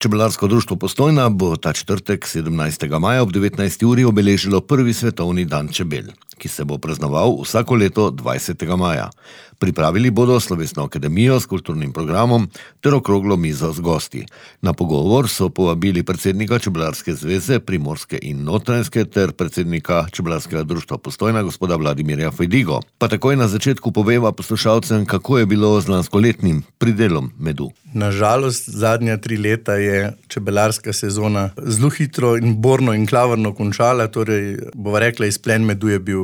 Čebelarsko društvo Postojna bo ta četrtek 17. maja ob 19. uri obeležilo prvi svetovni dan čebel, ki se bo praznoval vsako leto 20. maja. Pripravili bodo slovesno akademijo s kulturnim programom ter okroglo mizo z gosti. Na pogovor so povabili predsednika Čebelarske zveze Primorske in Notranjske ter predsednika Čebelarskega društva Postojna gospoda Vladimirja Fajdigo. Pa takoj na začetku poveva poslušalcem, kako je bilo z lanskoletnim pridelom medu. Nažalost, zadnja 3 leta je čebelarska sezona zelo hitro in borno in klavrno končala, torej bova rekla, izplen medu je bil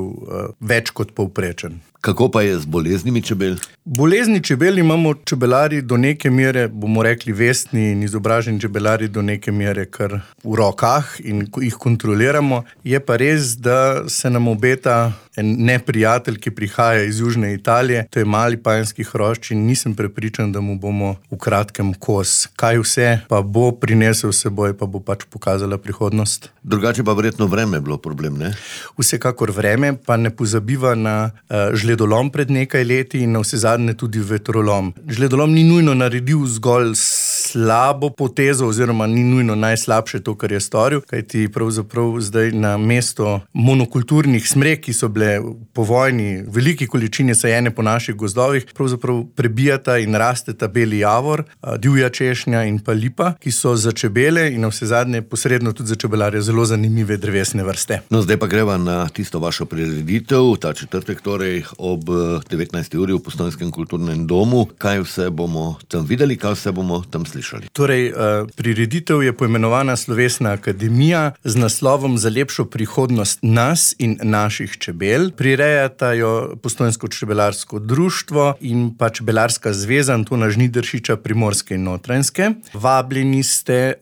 več kot povprečen. Kako pa je z boleznimi čebel? Bolezni čebel imamo čebelari do neke mere, bomo rekli vestni in izobraženi čebelari do neke mere kar v rokah in jih kontroliramo. Je pa res, da se nam obeta en neprijatelj, ki prihaja iz južne Italije, to je mali panjski hrošč in nisem prepričan, da mu bomo v kratkem kos. Kaj vse pa bo prinesel s seboj, pa bo pač pokazala prihodnost. Drugače pa verjetno vreme bilo problem, ne? Vsekakor vreme, pa ne pozabiva na žledolom pred nekaj leti in na vsezadnje tudi vetrolom. Žledolom ni nujno naredil zgolj slabo potezo oziroma ni nujno najslabše to, kar je storil, kajti pravzaprav zdaj na mesto monokulturnih smrek, ki so bile po vojni veliki količini sajene po naših gozdovih, pravzaprav prebijata in rasteta beli javor, divja češnja in pa lipa, ki so za čebele in na vsezadnje posredno tudi za čebelarje zelo zanimive drevesne vrste. No, zdaj pa greva na tisto vašo prireditev, ta četrtek torej ob 19. uri v Postojnskem kulturnem domu. Kaj vse bomo tam videli, kaj vse bomo tam slišali? Torej, prireditev je poimenovana Slovesna akademija z naslovom Za lepšo prihodnost nas in naših čebel. Prirejata jo Postojnsko čebelarsko društvo in pa Čebelarska zveza Antona Žnidaršiča Primorske in Notranjske. Vabljeni ste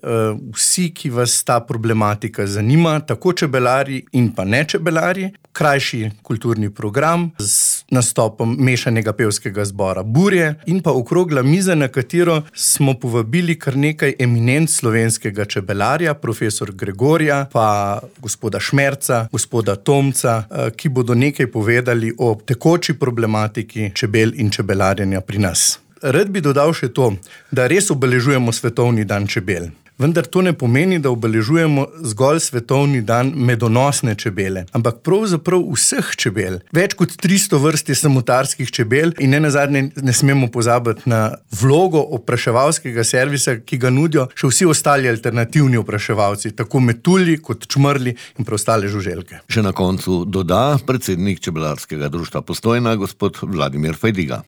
vsi, ki vas ta problematika zanima, tako čebelari in pa ne čebelari. Krajši kulturni program z nastopom mešanega pevskega zbora Burje in pa okrogla miza, na katero smo povabili kar nekaj eminenc slovenskega čebelarja, profesor Gregorja, pa gospoda Šmerca, gospoda Tomca, ki bodo nekaj povedali o tekoči problematiki čebel in čebelarjenja pri nas. Rad bi dodal še to, da res obeležujemo svetovni dan čebel. Vendar to ne pomeni, da obeležujemo zgolj svetovni dan medonosne čebele, ampak pravzaprav vseh čebel. Več kot 300 vrst je samotarskih čebel in nenazadnje ne smemo pozabiti na vlogo opraševalskega servisa, ki ga nudijo še vsi ostali alternativni opraševalci, tako metulji kot čmrli in preostale žuželke. Še na koncu doda predsednik Čebelarskega društva Postojna, gospod Vladimir Fajdiga.